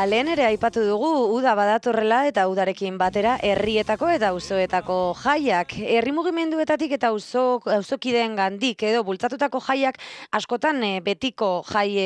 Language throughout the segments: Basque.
lehen ere aipatu dugu, uda badatorrela eta udarekin batera herrietako eta auzoetako jaiak. Herri mugimenduetatik eta auzokideen gandik edo bultzatutako jaiak askotan betiko jai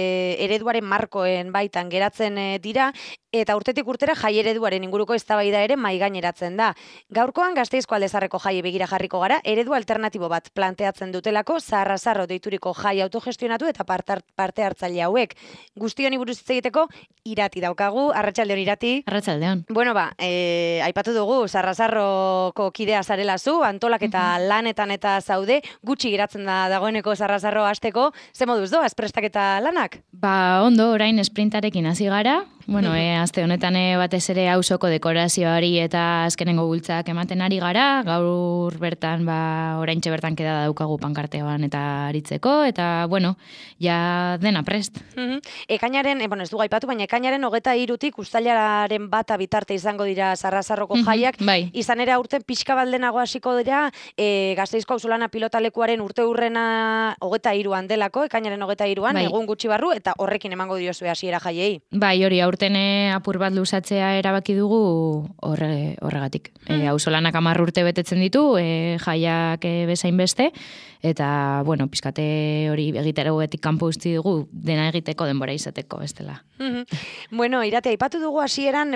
ereduaren markoen baitan geratzen dira, eta urtetik urtera jai ereduaren inguruko eztabaida ere mahaigaineratzen da. Gaurkoan Gasteizko Aldezarreko jai begira jarriko gara, eredu alternatibo bat planteatzen dutelako Zarrazarro deituriko jai autogestionatu eta parte hartzaile hauek. Guzti honi buruz hitz egiteko Irati daukagu. Arratsaldeon, Irati. Arratsaldeon. Bueno, aipatu dugu Zarrazarroko kidea zarela zu, antolaketa lanetan eta zaude, gutxi geratzen da dagoeneko Zarrazarro hasteko. Ze moduz doaz prestaketa lanak? Ondo, orain esprintarekin hasi gara. Bueno, aste honetan batez ere auzoko dekorazioari eta azkenengo bultzak ematen ari gara. Gaur bertan, oraintxe bertan keda daukagu pankartean eta aritzeko, eta, bueno, ja dena prest. Ekainaren, ez dugu aipatu, baina ekainaren 23tik uztailaren 1 bitarte izango dira Zarrazarroko jaiak. Bai. Izan ere aurten pixka baldenago hasiko dira Gasteizko auzolana pilotalekuaren urteurrena 23an delako, ekainaren 23an, bai. Egun gutxi barru, eta horrekin emango diozue hasiera jaiei. Bai, hori aurten apur bat luzatzea erabaki dugu horregatik. Auzolanak 10 urte betetzen ditu, jaiak bezain beste, eta, bueno, pizkate hori egiterogetik kanpo uzti dugu dena egiteko denbora izateko, bestela. Bueno, Irati, aipatu dugu hasieran,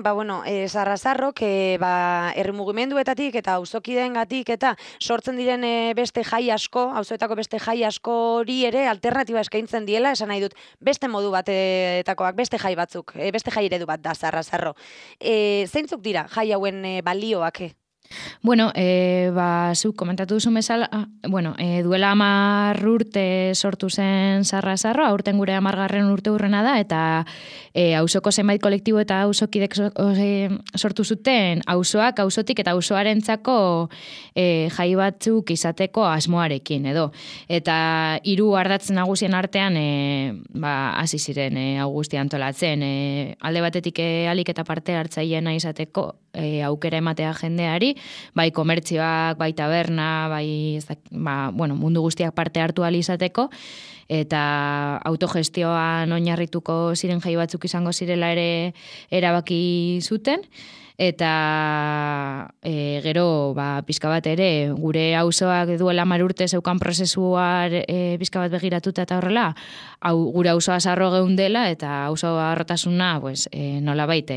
Zarrazarrok herri mugimenduetatik eta auzokideengatik eta sortzen diren beste jai asko, auzoetako beste jai askori ere alternatiba eskaintzen diela, esan nahi dut, beste modu batetakoak, beste jai batzuk, beste jai eredu bat da Zarrazarro. Zeintzuk dira jai hauen balioak? Bueno, zuk komentatu duzu bezala, duela 10 urte sortu zen Zarrazarro, aurten gure 10. urte urrena da, eta auzoko zenbait kolektibo eta auzokidek sortu zuten auzoak, auzotik eta auzoarentzako jai batzuk izateko asmoarekin, edo. Eta 3 ardatz nagusien artean hasi ziren Augusti antolatzen, alde batetik alik eta parte hartzaileena izateko aukera ematea jendeari, bai komertzioak, bai taberna, bai mundu guztiak parte hartu ahal izateko, eta autogestioan oinarrituko ziren jai batzuk izango zirela ere erabaki zuten, eta gero pizka bat ere gure auzoak duela 10 urte zeukan prozesuar pizka bat begiratuta eta horrela, gure auzoa zarro geundela eta auzoa harrotasuna nolabait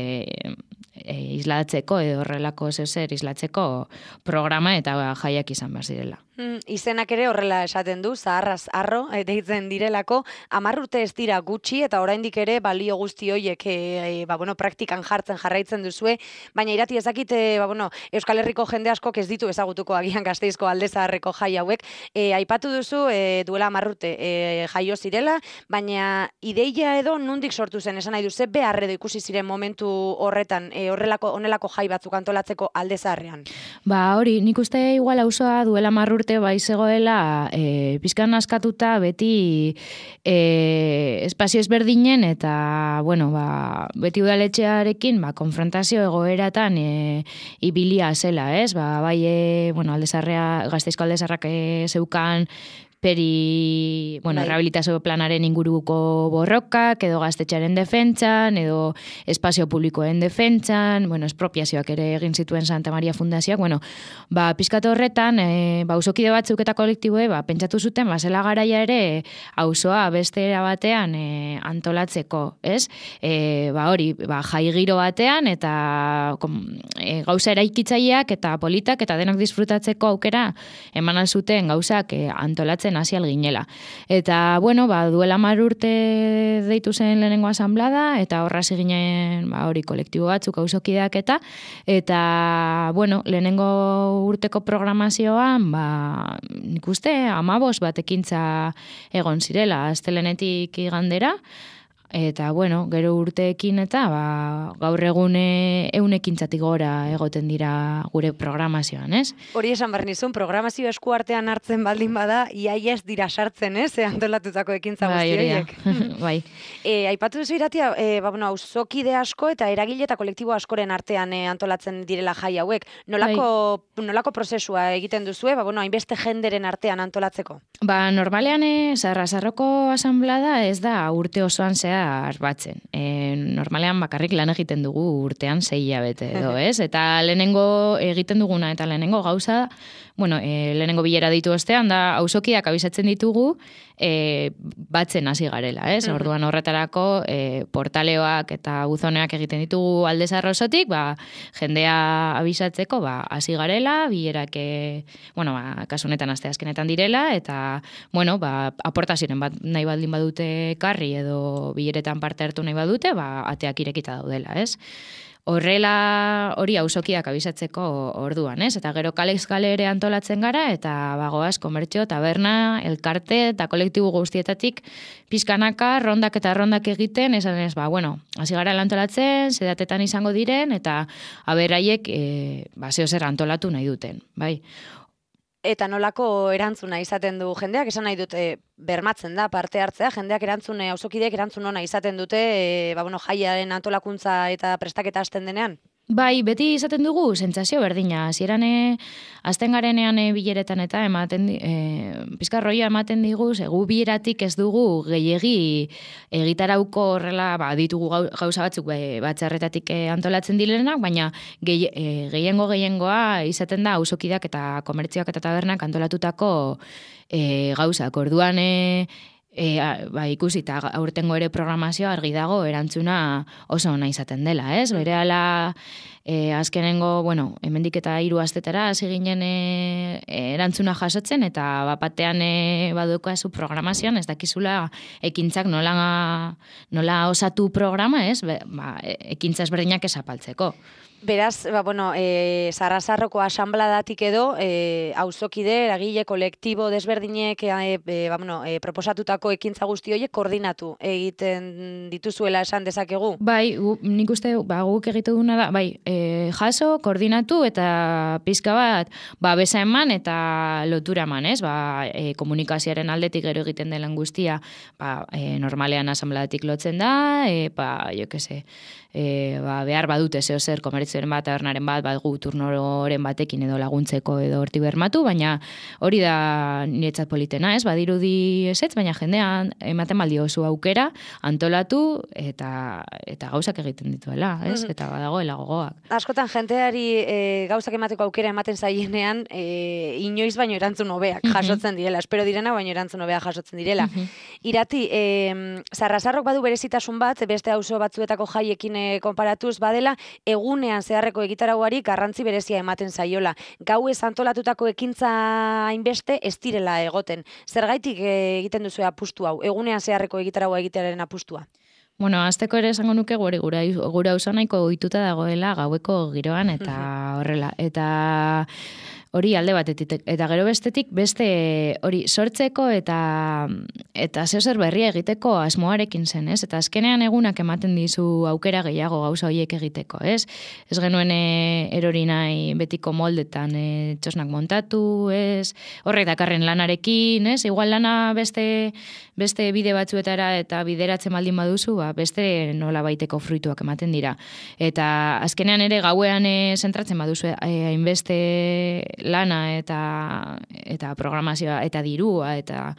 islatzeko edo horrelako zer islatzeko programa eta jaiak izan behar zirela. Izenak ere horrela esaten du, Zarrazarro deitzen direlako, 10 urte ez dira gutxi eta oraindik ere balio guzti horiek praktikan jarraitzen duzue, baina Irati ezakit Euskal Herriko jende askok ez ditu ezagutuko agian Gasteizko Aldezarreko jai hauek. Aipatu duzu duela 10 urte jaio zirela, baina ideia edo nondik sortu zen, esan nahi duze behar edo ikusi ziren momentu horretan honelako jai batzuk antolatzeko Aldezarrean? Hori, nik uste igual auzoa duela 10 urte zegoela pizkan askatuta beti espazio ezberdinen eta beti udaletxearekin konfrontazio egoeratan ibilia zela, ez? Gasteizko Aldezarrak zeukan rehabilitazio planaren inguruko borrokak, edo gaztetxearen defentsan, edo espazio publikoen defentsan, espropiazioak ere egin zituen Santa Maria Fundazioak, pizkat horretan, auzokide batzuk eta kolektiboe, pentsatu zuten, zela garaia ere, auzoa beste era batean antolatzeko, ez? Jai giro batean, eta gauza eraikitzaileak eta politak, eta denok disfrutatzeko aukera, eman zuten gauzak antolatzen hasi alginela. Eta, duela 10 urte deitu zen lehenengo asanblada, eta horra ginen kolektibo batzuk auzokideak eta lehenengo urteko programazioan, nik uste, 15 bat ekintza egon zirela, astelehenetik igandera, eta, gero urteekin eta gaur egun 100 ekintzatik gora egoten dira gure programazioan, ez? Hori esan behar nizun, programazio eskuartean hartzen baldin bada, iaia ez dira sartzen, ez? Antolatutako ekintza guzti horiek. Bai. Aipatu duzu Iratia, auzokide asko eta eragile eta kolektibo askoren artean antolatzen direla jai hauek. Nolako prozesua egiten duzue, hainbeste jenderen artean antolatzeko? Normalean Zarrazarroko asanblada ez da urte osoan zehar zehar batzen. Normalean bakarrik lan egiten dugu urtean 6 hilabete edo, ez? Eta lehenengo egiten duguna eta lehenengo gauza, lehenengo bilera ditu ostean da auzokiak abisatzen ditugu batzen hasi garela, ez? Orduan horretarako portaleoak eta buzoneak egiten ditugu Alde Zahar osotik, jendea abisatzeko hasi garela, bilerak kasu honetan asteazkenetan direla eta aportazioen bat nahi baldin badute karri edo bileretan parte hartu nahi badute, ateak irekita daudela, ez? Horrela hori auzokiak abisatzeko orduan, ez? Eta gero kalez kale ere antolatzen gara, eta bagoaz komertzio, taberna, elkarte eta kolektibo guztietatik pizkanaka, rondak eta rondak egiten, esan ez, hasi gara antolatzen, zedatetan izango diren, eta aberaiek zeo zer antolatu nahi duten, bai. Eta nolako erantzuna izaten du jendeak, esan nahi dute bermatzen da parte hartzea, jendeak auzokideek erantzun ona izaten dute, jaiaren antolakuntza eta prestaketa hasten denean? Bai, beti izaten dugu sentsazio berdina. Hasieran hasten garenean bileretan eta pizkarroia ematen digu, gu bileratik ez dugu gehiegi egitarauko horrela, ditugu gauza batzuk batzarretatik antolatzen direnak, baina gehiengoa izaten da auzokideak eta komertzioak eta tabernak antolatutako gauzak. Orduan ikusi eta aurtengo ere programazioa argi dago erantzuna oso ona izaten dela, ez? Berehala azkenengo, hemendik eta 3 astetara hasi ginen erantzuna jasotzen eta bapatean badukazu programazioan ez dakizula ekintzak nola osatu programa, ez? Ekintza ezberdinak ezapaltzeko. Beraz, Sarrasarroko asanbladatik edo, auzokide, eragile, kolektibo, desberdinek proposatutako ekintza guzti horiek koordinatu egiten dituzuela esan dezakegu? Bai, nik uste guk egitu duna da, jaso, koordinatu eta pizka bat, besa eman eta lotura eman, ez? Komunikazioaren aldetik gero egiten dela guztia, normalean asanbladatik lotzen da, behar badute zeo zer komertzioaren bat, tabernaren bat, gu turnoren batekin edo laguntzeko edo horti bermatu, baina hori da niretzat politena, ez? Badirudi ezetz, baina jendean ematen baldio oso aukera, antolatu eta gauzak egiten dituela, ez? Eta badagoela gogoak. Askotan jenteari gauzak emateko aukera ematen zaienean, inoiz baino erantzun hobeak jasotzen direla, espero direna baino erantzun hobeak jasotzen direla. Irati, Sarrasarrok badu berezitasun bat, beste auzo batzuetako jaiekin konparatuz badela, egunean zeharreko egitarauari garrantzi berezia ematen zaiola. Gauez antolatutako ekintza hainbeste ez direla egoten. Zergaitik egiten duzu apustu hau, egunean zeharreko egitaraua egitearen apustua? Azteko ere esango nuke gure auzo nahiko ohituta dagoela gaueko giroan eta horrela. Eta hori alde batetik, eta gero bestetik, beste hori sortzeko eta zeo zer berria egiteko asmoarekin zen, ez? Eta azkenean egunak ematen dizu aukera gehiago gauza horiek egiteko, ez? Ez genuen erori nahi betiko moldetan txosnak montatu, ez? Horrek dakarren lanarekin, ez? Igual lana beste bide batzuetara eta bideratzen baldin baduzu, beste nola baiteko fruituak ematen dira. Eta azkenean ere gauean zentratzen baduzu hainbeste lana eta programazioa eta dirua eta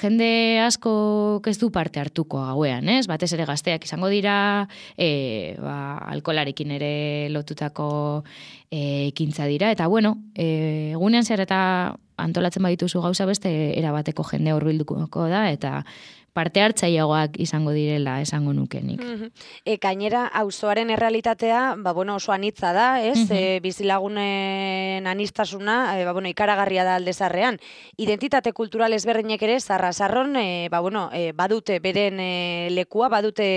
jende asko ez du parte hartuko gauean, ez? Batez ere gazteak izango dira, alkolarekin ere lotutako ekintza dira eta egunean zer eta antolatzen badituzu gauza beste erabateko jende hurbilduko da eta parte hartzaileagoak izango direla esango nukenik. Gainera, auzoaren errealitatea, oso anitza da, ez? Bizilagunen anistasuna, ikaragarria da Alde Zaharrean. Identitate kultural ezberdinek ere, Sarrasarron, badute beren lekua, badute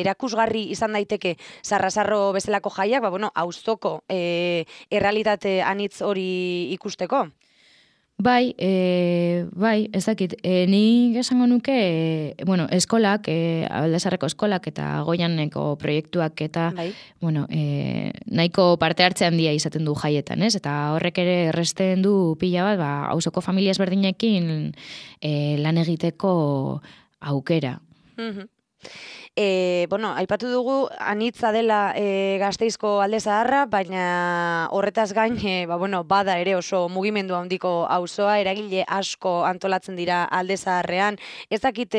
erakusgarri izan daiteke Sarrasarro bezalako jaiak, auzoko errealitate anitz hori ikusteko. Bai, ez dakit. Nik esango nuke, eskolak, Alde Zaharreko eskolak eta Goianeko proiektuak eta, nahiko parte hartze handia izaten du jaietan, ez? Eta horrek ere erresten du pila bat, auzoko familia ezberdinekin lan egiteko aukera. Aipatu dugu anitza dela Gasteizko Alde Zaharra, baina horretaz gain, bada ere oso mugimendu handiko auzoa, eragile asko antolatzen dira Alde Zaharrean. Ez dakit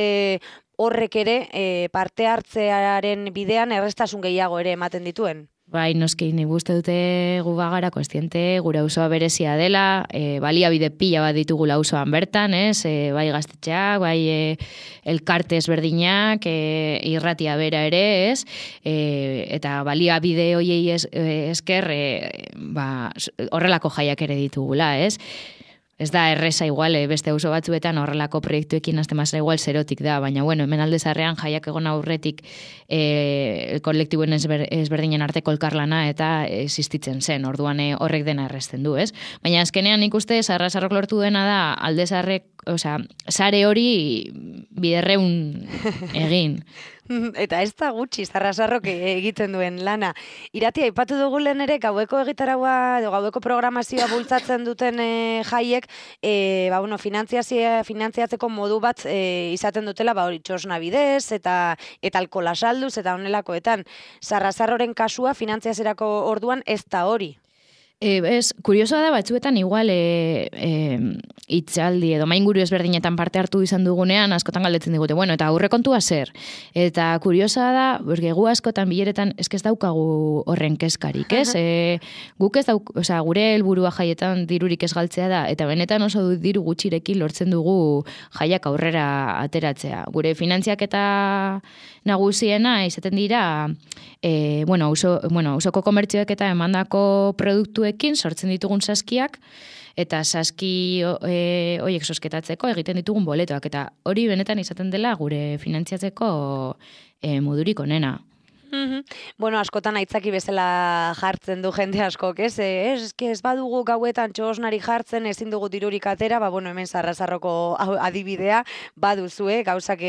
horrek ere parte hartzearen bidean errestasun gehiago ere ematen dituen. Bai, noski, nik uste dute gu bagara kontziente, gure auzoa berezia dela, baliabide pila bat ditugula auzoan bertan, bai gaztetxeak, bai elkarte ezberdinak, irratia bera ere, eta baliabide hoiei esker, horrelako jaiak ere ditugula, Ez da erresa igual, beste auzo batzuetan horrelako proiektuekin aztemazera igual zerotik da, baina bueno, hemen alde zarrean jaiak egon aurretik kolektiboen ezberdinen arteko elkarlana eta existitzen zen, orduan horrek dena erresten du, ez? Baina azkenean ikuste Sarrasarrok lortu dena da alde zarrek, sare hori biderreun egin. Eta ez da gutxi Sarrasarrok egiten duen lana. Irati, aipatu dugu lehen ere, gaueko egitaragoa, gaueko programazioa bultzatzen duten jaiek, finantziatzeko modu bat izaten dutela, hori txosna bidez, eta alkola salduz, eta honelakoetan. Sarrasarroren kasua finantziazerako orduan ez da hori. Kuriosoa da batzuetan igual itzaldi edo mainguru ezberdinetan parte hartu izan dugunean askotan galdetzen digute, bueno, eta aurrekontua zer? Eta kuriosoa da, gu askotan bileretan ez daukagu horren kezkarik, ez? Guk ez gure helburua jaietan dirurik ez galtzea da, eta benetan oso diru gutxirekin lortzen dugu jaiak aurrera ateratzea. Gure finantziak eta nagusiena izaten dira, ausoko komertzioek eta emandako produktuekin sortzen ditugun saskiak, eta saski horiek sosketatzeko egiten ditugun boletoak, eta hori benetan izaten dela gure finantziatzeko modurik onena. Bueno, askotan aitzaki bezala jartzen du jende askok, ez? Ez badugu gauetan txosnari jartzen, ezin dugu dirurik atera, hemen Sarrasarroko adibidea baduzue, gauzak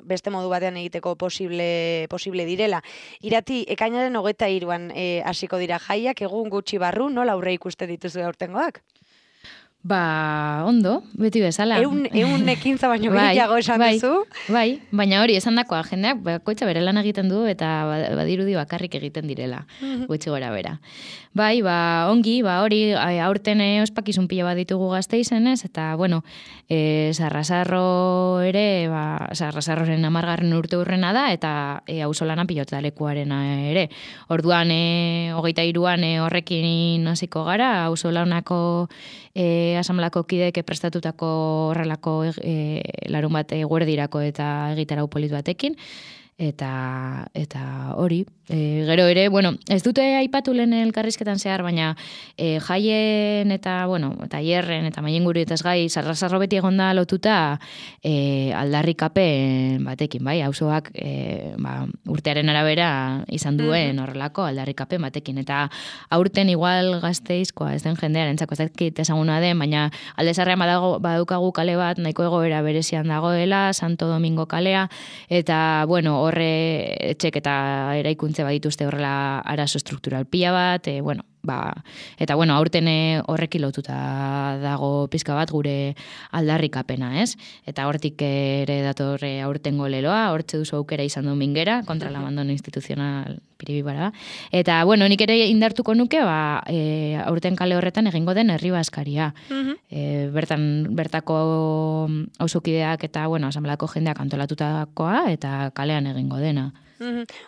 beste modu batean egiteko posible direla. Irati, ekainaren 23an hasiko dira jaiak, egun gutxi barru, nola aurre ikuste dituzue aurtengoak? Ondo, beti bezala. Eun ekintza baino gehiago esan duzu? Bai, baina hori esan dakoa, jendeak bakoitza bere lan egiten du eta badirudi bakarrik egiten direla, gutxi gora bera. Bai, ongi, hori aurten ospakizun pila bat ditugu Gasteizenez, eta, Sarrasarro ere, Sarrasarroren 10. urte urrena da, eta auzolana pilotalekuarena ere. Orduan, 23an horrekin hasiko gara, auzolanako asamblako kideek prestatutako horrelako larun bat guerdirako eta egitarau polit batekin, eta hori. Gero ere, ez dute aipatu lehen elkarrizketan zehar, baina jaien eta, tailerren eta mailinguru eta gai, Sarrasarro beti egonda lotuta aldarrikapen batekin, bai, auzoak urtearen arabera izan duen horrelako aldarrikapen batekin, eta aurten igual Gasteizkoa ez den jendearentzako ez dakit ezaguna den, baina alde zarrean badukagu kale bat nahiko egoera berezian dagoela, Santo Domingo kalea, eta horre etxek eta eraikuntze badituzte horrela arazo struktural pila bat, eta aurten horrekin lotuta dago pizka bat gure aldarrikapena, ez? Eta hortik ere datorre aurtengo leloa, hortze duzu aukera izan du mingera, kontra la abandono institucional piribibara. Eta, nik ere indartuko nuke, aurten kale horretan egingo den herri baskaria. Bertako auzokideak eta, asamblako jendeak antolatutakoa eta kalean egingo dena.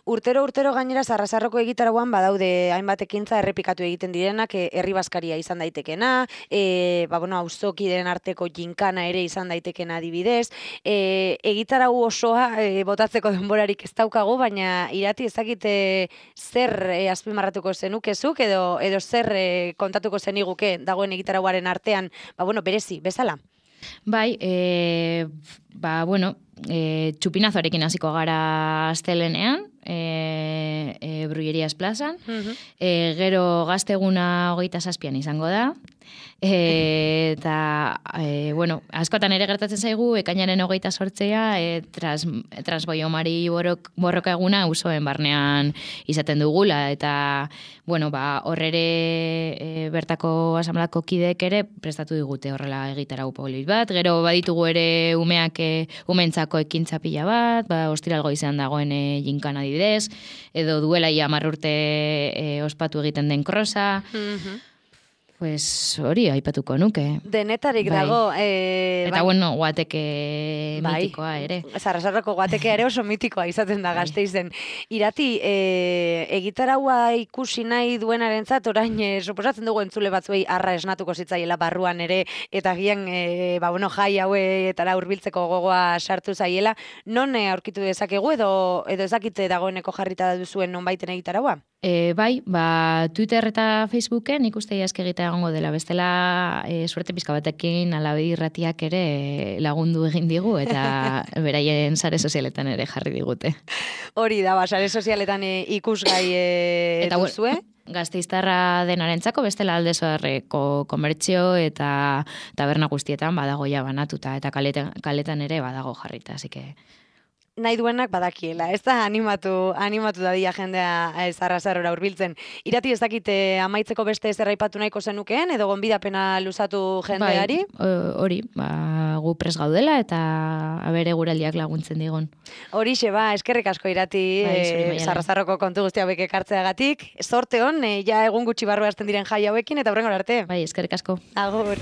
Urtero gainera Sarrasarroko egitarauan badaude hainbat ekintza errepikatu egiten direnak, herri baskaria izan daitekena, auzokideen arteko ginkana ere izan daitekena adibidez, egitarau osoa botatzeko denborarik ez daukagu, baina Irati ezakite zer azpimarratuko zenukezuk edo zer kontatuko zeniguke dagoen egitarauaren artean, berezi, bezala? Bai, txupinazoarekin hasiko gara astelenean, Brullerias plazan, gero gazteguna 27an izango da, eta, askotan ere gertatzen zaigu, ekainaren 28a, transboiomari borroka eguna auzoen barnean izaten dugula, eta, horrere bertako asamblako kideek ere prestatu digute horrela egitarau polit bat, gero baditugu ere umentzako ekintza pila bat, ostiralgo izan dagoen jinkana adibidez, edo duela 10 urte ospatu egiten den krosa. Pues hori aipatuko nuke. Denetarik dago. Eta bueno, guateke mitikoa ere. Sarrasarroko guatekea ere oso mitikoa izaten da Gasteizen. Irati, egitaraua ikusi nahi duenarentzat orain suposatzen dugu entzule batzuei arra esnatuko zitzaiela barruan ere, eta gian jai hauetara hurbiltzeko gogoa sartu zaiela. Non aurkitu dezakegu edo ezakite dagoeneko jarrita duzuen nonbaiten egitaraua? Bai, Twitter eta Facebooken ikuste jaske egitea egongo dela, bestela suerte pizka batekin Alabe Irratiak ere lagundu egin digu eta beraien sare sozialetan ere jarri digute. Hori da, sare sozialetan ikusgai duzue? Gasteiztarra denarentzako bestela Aldezoarreko komertzio eta taberna guztietan badago ja banatuta eta kaletan ere badago jarrita, así que nahi duenak badakiela, ez da animatu dadia jendea Sarrasarora hurbiltzen. Irati ez dakite amaitzeko beste zer aipatu nahiko zenukeen, edo gonbidapena luzatu jendeari? Bai, hori, gu pres gaudela eta abere guraldiak laguntzen digun. Horixe, eskerrik asko Irati, Sarrasarroko kontu guzti hauek ekartzeagatik. Sorte hon, ja egun gutxi barru hasten diren jai hauekin, eta hurrengora arte. Bai, eskerrik asko. Agur.